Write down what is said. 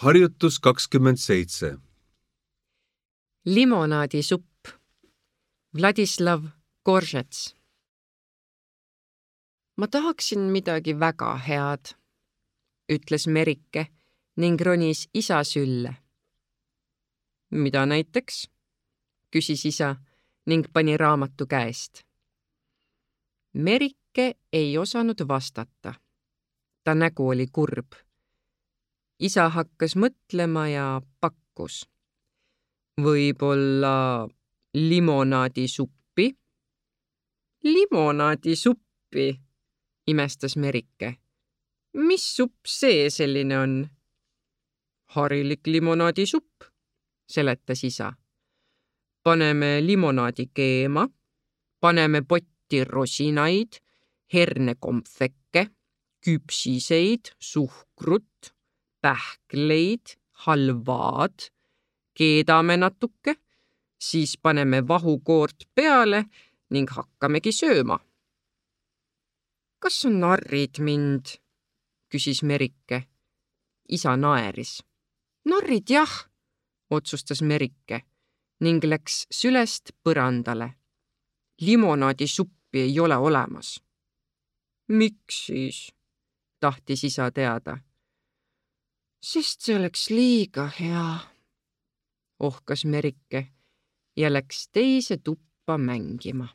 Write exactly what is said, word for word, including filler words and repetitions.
Harjutus kakskümmend seitse. Limonaadisupp. Vladislav Koržets. Ma tahaksin midagi väga head, ütles Merike ning ronis isa sülle. Mida näiteks? Küsis isa ning pani raamatu käest. Merike ei osanud vastata. Ta nägu oli kurb. Isa hakkas mõtlema ja pakkus. Võib-olla limonaadisuppi? Limonaadisuppi, imestas Merike. Mis supp see selline on? Harilik limonaadisupp, seletas isa. Paneme limonaadi keema, paneme potti rosinaid, hernekompveke, küpsiseid, suhkrut, pähkleid, halvaad, keedame natuke, siis paneme vahukoort peale ning hakkamegi sööma. Kas on narrid mind? Küsis Merike. Isa naeris. Narrid jah, otsustas Merike ning läks sülest põrandale. Limonaadisuppi ei ole olemas. Miks siis? Tahtis isa teada. Sest see oleks liiga hea, ohkas Merike ja läks teise tuppa mängima.